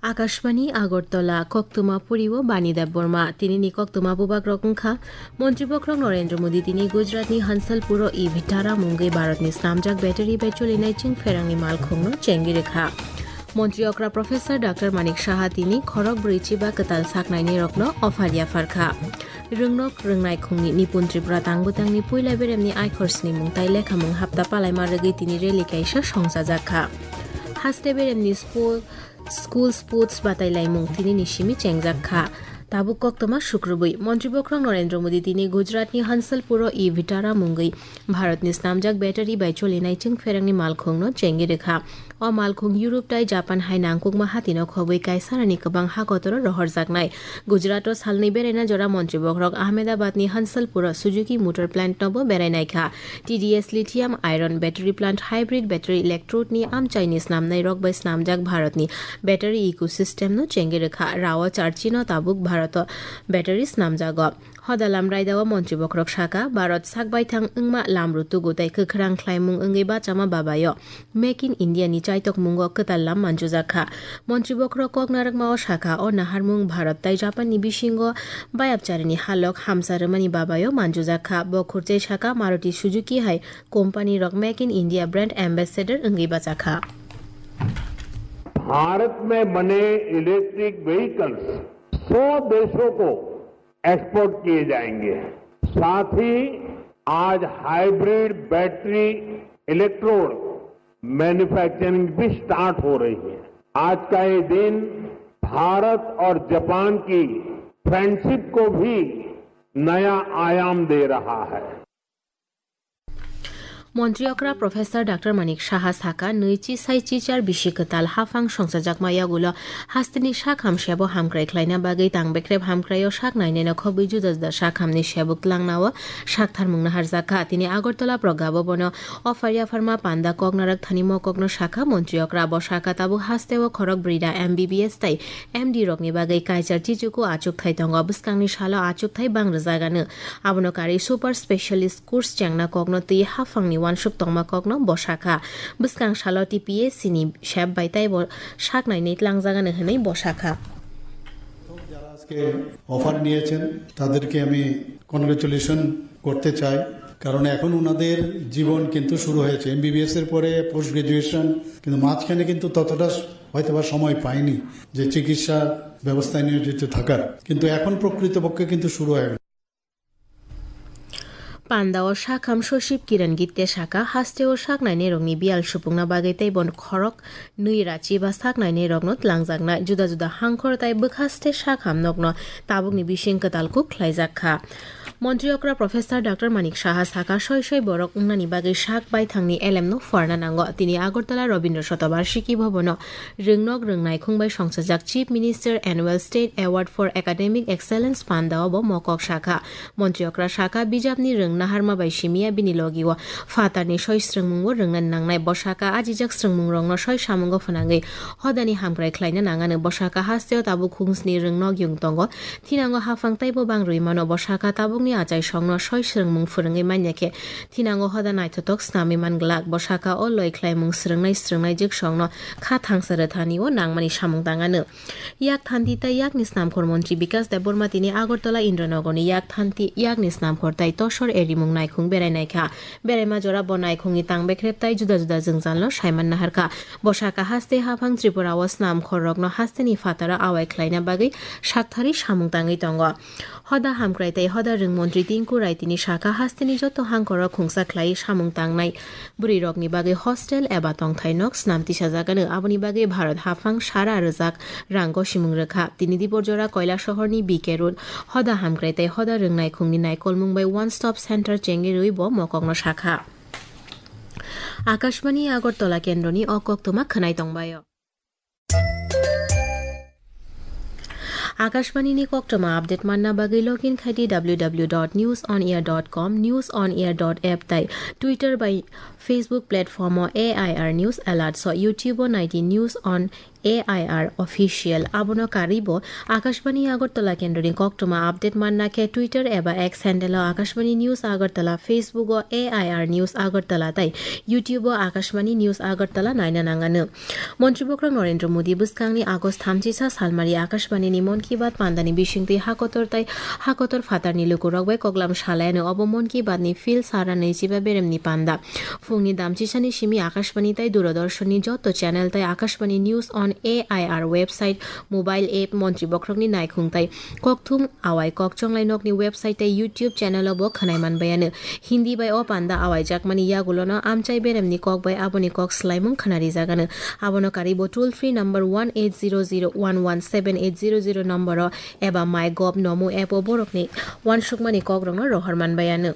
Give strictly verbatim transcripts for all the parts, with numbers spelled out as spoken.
Akashbani Agartala, koktwma poriwo Bani Debbarma. Tinini koktwma bubagrok wngkha, Montri Bokhorok Narendra Modi tini Gujaratni Hansalpuro e Vitara mungwi Bharatni snamjak battery bai cholinai chwngpherangni malkhungno chengwi rwkha. Montri okra Professor Doctor Manik Saha tini khorok brwi chiba kwtal saknainirokno offer yapharkha. Rwngnok rwngnai khungni Nipun Tripura tang bwtangni puila beremni aikhor snimung tai lekhamung hapta palaima rwgwi tini rally kaisa songchajakha. Haste beremni spo-, school sports batai laimung tinini simi chengjak kha. Tabuk koktwma sukrubwi Montri Bokhorok Narendra Modi tini Gujaratni Hansalpuro e Vitara mungwi Bharatni snamjak battery bai cholinai chwngpherangni malkhungno chengwi rwkha. O malkhung Europe tai Japan hai nangkukma hatino khobwi kaisarani kwbang hakotoro rohorjaknai. Gujarato salnwi beraina jora Montri Bokhorok Ahmedabadni Hansalpuro Suzuki Motor Plant nobo berainaikha. T D S lithium iron battery plant hybrid battery electrode ni amchaini snamnairok bai snamjak Bharatni battery ecosystem no chengwi rwkha. Rao charchi no tabuk Bharato battery snamjago. Hoda lam raida o Montri Bokhorok saka, Bharat sak baithang wngma lam rutugo tei kwkhrang khlaimung wngwi bachama babayo Make in India ni chaitokmungo kwtal lam manjujak kha. Montri Bokhorok kok narwkma o sakha, o naharmung Bharat tai Japan ni bisingo bayapcharini halok hamsa rwmani babayo manjujak kha. Bo khurchai saka, Maruti Suzuki hai company rok Make in India brand ambassador wngwi bachakha. Bharat में बने electric vehicles सौ देशों को एक्सपोर्ट किए जाएंगे। साथ ही आज hybrid battery electrode manufacturing भी स्टार्ट हो रही है। आज का ये दिन भारत और जापान की फ्रेंडशिप को भी नया आयाम दे रहा है। Montri okra Professor Doctor Manik Saha saka, nui chi sai chi char bisi kwtal haphang songchajakma yagulo hasteni sak ham sebo hamkrai khlaina bagwi tang bekrep hamkraio sak naineno khobwi juda juda sak hamni sebuk tlangnao sak tharmung naharjakha. Tini Agartala Progabo bono offer yapharma panda kok narak thani mokokno sakha Montri okra. Bo saka tabuk hasteo khorok brwi da M B B S tai M D rokni bagwi kaichar chichuku achukthai tongo. Bwskangni salo achukthai bang rwjagano. Abono karwi super specialist course chengna kokno twi haphangni uansuk tongma kokno bo sakha. Bwskang salo T P S C ni sep bai teibo sak nainwi tlangjagano hwnwi bo sakha. যারা আজকে অফার নিয়েছেন, তাদেরকে আমি কনগ্রেচুলেশন করতে চাই, কারণ এখন ওনাদের জীবন কিন্তু শুরু হয়েছে। এমবিবিএস এর পরে পোস্ট গ্রাজুয়েশন, কিন্তু মাঝখানে কিন্তু ততটা হয়তো বা সময় পায়নি যে চিকিৎসা ব্যবস্থায় নিয়োজিত থাকার, কিন্তু এখন প্রকৃতপক্ষে কিন্তু শুরু হয়ে গেল। Panda o sakham Sosip Kiran Gitte saka, haste o sak nainai rokni biyal supungna bagwi tei bon khorok nui rachi ba sak nainai rokno tlangjaknai juda juda hangkhor tai bwkhaste sakham nokno tabukni bising kwtal kuk khlaijak kha. Montri okra Professor Doctor Manik Saha saka, soi soi borok wngnani bagwi sak baithangni elemno pharna nango. Tini Agartala Rabindra Shatabarshiki Bhavan o Rwngnok rwngnai khung bai songchajak Chief Minister Annual State Award for Academic Excellence panda o bo mokok sakha. Montri okra sakha, bijapni rwng naharma bai simiya bini logi o phatarni soi swrwngmung o rwngna nangnai. Bo sakha, ajijak swrwngmung rokno soi samungo phwnangwi hodani hamkrai khlaina nangano. Bo sakha, hasteo tabuk khungsni rwngnok yung tongo. Thinango haphang teibo bang rwi mano. Bo sakha, tabukni achaisongno soi swrwngmung phwrwngwi manya khe thinango hoda naithotok snamwi man glak. Bo sakha, o loi khlaimung swrwngnai swrwngnai jwksongno kha thangsa rwthani o nangmani samung tangano. Yak thanti tei yakni snamkhor montri Bikas Debbarma tini Agartala Indranogorni yak thanti yakni snamkhor tei tosor erimung naikhung berai naikha. Beraima jora bo naikhungni tang bekrep tei juda juda jwngjalno saiman naharkha. Bo sakha, haste haphang Tripura o snamkhor rokno hasteni phataro awai khlaina bagwi sakthari samung tangwi tongo. Hoda hamkrai tei hoda rwng montri Tinku Rai tini sakha, hasteni joto hangkoro khungsa khlai samung tangnai bwrwi rokni bagwi hostel eba tongthai nok snam tisajagano. Aboni bagwi Bharat haphang sara rwjak rang gosimung rwkha. Tini Diporjora Koilasahorni B K Road hoda hamkrai tei hoda rwng naikhungni naikolmung bai One Stop Center chengwi rwi bo mokokno sakha. Akashbani Agartala kendroni o koktwma khwnai tongbaio. Akashbani ni koktwma update manna bagwi login khai di W W W dot news on air dot com, news on air dot app tai Twitter bai Facebook platform o A I R News Alert so YouTube o nai di News on A I R Official. Abono karwibo Akashbani Agartala kendroni koktwma update manna khe Twitter eba X handle-o Akashbani News Agartala, Facebook-o A I R News Agartala tei YouTube-o Akashbani News Agartala naina nangano. Montri Bokhorok Narendra Modi bwskangni August thamchisa salmari Akashbani-ni Mann Ki Baat pandani bisingtwi hakotor tei hakotor phatarni lukurok bai koklam salayano. Obo Mann Ki Baat-ni phil sara naichiba beremni panda. Phungni damchisani simi Akashbani tei Doordarshan-ni joto channel tei Akashbani News on A I R website, mobile app, Montri Bokhorokni naikhung tei kokthum awai kok chonglai nokni website tei YouTube channel-o bo khwnai manbayano. Hindi bai o panda awaijakmani yagulono amchai beremni kok bai aboni kok swlaimung khwnarijagano. Abono karwibo toll free number one eight zero zero one one seven eight zero zero number-o eba MyGov Namo app-o borokni uansukmani kokrokno rohor manbayano.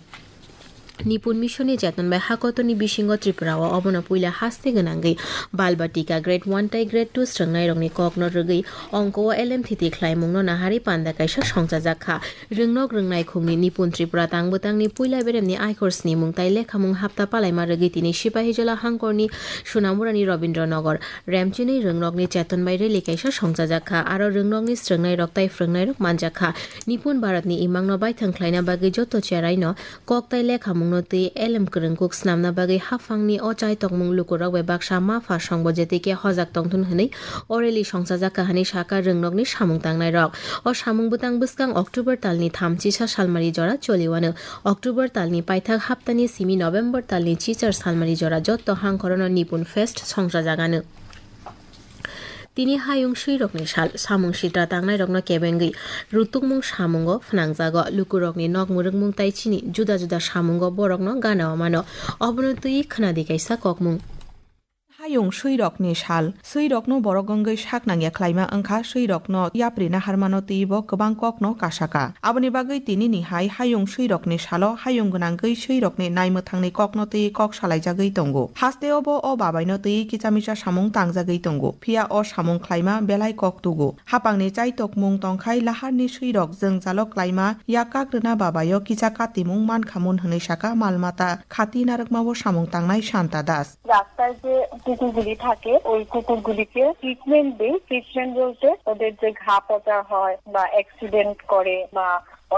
Nipun Mission-ni cheton bai hakotorni bisingo Tripura-o obono puila haste gwnangwi Balbatika Grade one tei Grade two swrwngnairokni kokno rwgwi ongko-o L M thiti khlaimungno naharwi panda kaisa songchajak kha. Rwngnok rwngnai khungni Nipun Tripura tangbwtangni puila beremni aikhor snimung tei lekhamung hapta palaima rwgwi tini Sipahijola hangkorni Sunamurani Robindra Nagar, Remchinwi rwngnokni cheton bai rally kaisa songchajak kha. Aro rwngnokni swrwngnairok tei phrwngnairok manjak kha. Nipun Bharatni imangno baithang khlaina bagwi joto cheraino kok tei lekhamungno twi elem kwrwngkuk snamna bagwi haphangni o chaitokmung lukurok bai baksa ma pha songbo jetikhe hojak tongthun hwnwi o rally songchajak kha hwnwi sakha rwngnokni samung tangnairok. O samung bwtang bwskang October talni thamchisa salmari jora choliwano. October talni paithak haptani simi November talni chichar salmari jora jotto hangkhorono Nipun Fest songchajagano. Tini hayung swirokni sal, samung sitra tangnairokno kebengwi rutukmung samungo phnangjago. Lukurokni nok mwrwkmung tai chini juda juda samungo borokno gana-o mano. Obono twi khwnadi kaisa kokmung. Hayung swirokni sal, swirokno borok wngwi sak nangya khlaima wngkha, swirokno yapri naharmano twibo kwbang kokno kasaka. Aboni bagwi tinini hai hayung swirokni salo hayung gwnangwi swirokni naimwthangni kokno twi kok salaijagwi tongo. Hasteo bo o babaino twi kicha micha samung tangjagwi tongo, phiya o samung khlaima belai kok tugo. Hapangni chaitokmung tongkhai laharni swirok jwngjalo klaima yak kakrwna babaio kicha katimung mankhamun hwnwi saka mal mata khati narwkmao samung tangnai Santa Das. রাস্তায় যে কুকুরগুলি থাকে, ওই কুকুরগুলিকে ট্রিটমেন্ট দিই। ট্রিটমেন্ট বলতে ওদের যে ঘা পচা হয় বা অ্যাক্সিডেন্ট করে বা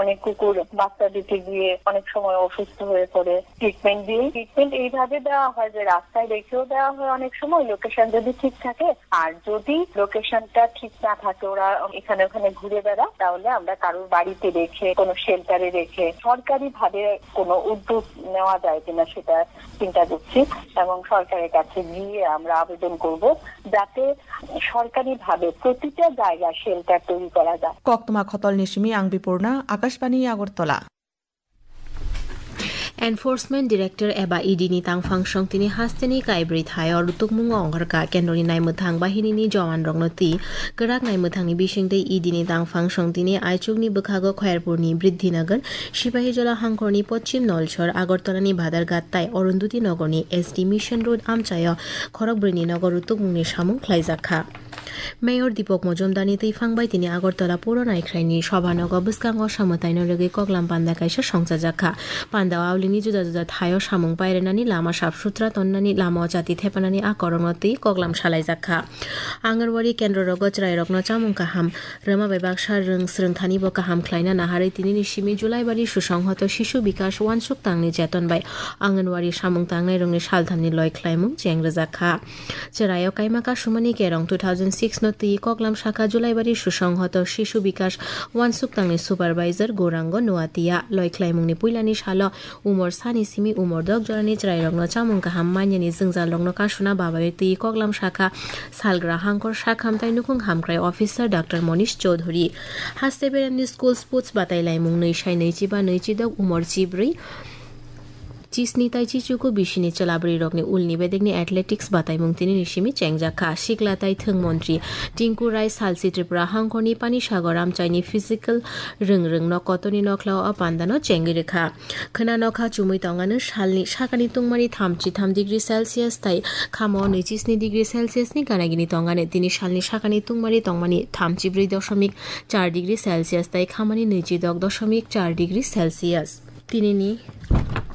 অনেক কুকুর বাচ্চা দিতে গিয়ে অনেক সময় অসুস্থ হয়ে পড়ে, ট্রিটমেন্ট দিই। ট্রিটমেন্ট এইভাবে দেওয়া হয় যে রাস্তায় রেখেও দেওয়া হয় অনেক সময়, লোকেশন যদি ঠিক থাকে। আর যদি লোকেশনটা ঠিক না থাকে, ওরা এখানে ওখানে ঘুরে বেড়ায়, তাহলে আমরা কারোর বাড়িতে রেখে, কোনো শেল্টারে রেখে, সরকারিভাবে কোনো উদ্যোগ নেওয়া যায় কিনা সেটা চিন্তা করছি এবং সরকারের কাছে গিয়ে আমরা আবেদন করব যাতে সরকারিভাবে প্রতিটা জায়গায় শেল্টার তৈরি করা যায়। Koktwma khotolni simi ang Bipurna, Akashbani Agartala. Enforcement Director eba E D ni tangphang song tini hasteni kaibrwi thaio rutukmungo ongkhorkha. Kendroni naimwthang bahinini jowanrokno twi kwrak naimwthangni bisingtwi E D ni tangphang song tini aichukni bwkhago Khairpurni Briddhinagar, Sipahijola hangkhorni Poschim Nolsor, Agartalani Badharghat tai Arundhati Nagarni S D Mission Road amchaio khorokbrwini nogo rutukmungni samung khlaijak kha. Mayor Deepak Majumdarni twiphang bai tini Agartala Puro Naikhraini Sobhanogo bwskango samwtaino rwgwi koklam panda kaisa songchajak kha. Pandao aulini juda juda thaio samung pairenani, lama sap sutra tonnani, lama o chati thepanani a korokno twi koklam salaijak kha. Anganwadi kendrorogo chwrairokno chamung kaham rwma bai baksa rwng swrwngthanibo kaham khlaina naharwi tinini simi Julaibari Susonghoto Shishu Bikas uansuk tangni cheton bai Anganwadi samung tangnairokni salthamni loi khlaimung cheng rwjak kha. Chwraio kaima kasumani kerong two thousand six no twi koklam saka Julaibari Susonghoto Shishu Bikas uansuk tangni supervisor Gourango Noatia loi khlaimungni puilani salo umor sani simi umor dok jorani chwrairokno chamung kaham manyani jwngjalrokno kasuna babayo twi koklam sakha salgra hangkor sakham tai nukhung hamkrai officer Doctor Monish Chowdhury. Haste beremni school sports batai laimung nwi sai nwi chiba nwi chidok umor chibrwi chisni tai chichuku bisini chwlabwrwirokni ulni bedekni athletics bataimung tinini simi chengjak kha. Sikla tai thwng montri Tinku Rai salsi Tripura hangkhorni Panisagar amchaini physical rwng rwngno kotorni nokhlao o pandano chengwi rwkha. Khwna nokha chumui tongano salni sakani tungmani thamchi tham degree Celsius tai khamo nwichi sni degree Celsius ni ganagini tongano. Tini salni sakani tungmani tongmani thamchi brwi doshomik char degree Celsius tai khamani nwichi dok doshomik char degree Celsius. Tinini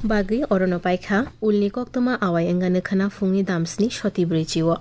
bagwi orono paikha ulni koktwma awai wngano khwna phungni damsni soti brwi chio.